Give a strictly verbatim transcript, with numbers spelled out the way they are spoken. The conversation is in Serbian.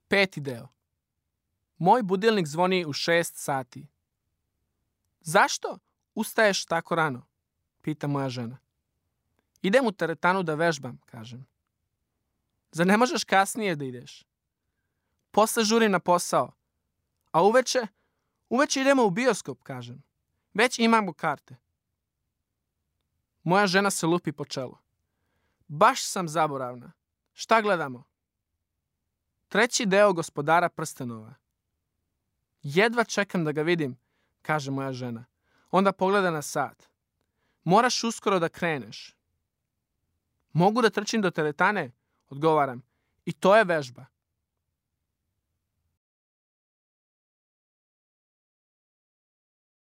Peti deo. Moj budilnik zvoni u šest sati. Zašto ustaješ tako rano? Pita moja žena. Idem u teretanu da vežbam, kažem. Zar ne možeš kasnije da ideš? Posle žurim na posao. A uveče? Uveče idemo u bioskop, kažem. Već imamo karte. Moja žena se lupi po čelu. Baš sam zaboravna. Šta gledamo? Treći deo Gospodara prstenova. Jedva čekam da ga vidim, kaže moja žena. Onda pogleda na sat. Moraš uskoro da kreneš. Mogu da trčim do teretane, odgovaram. I to je vežba.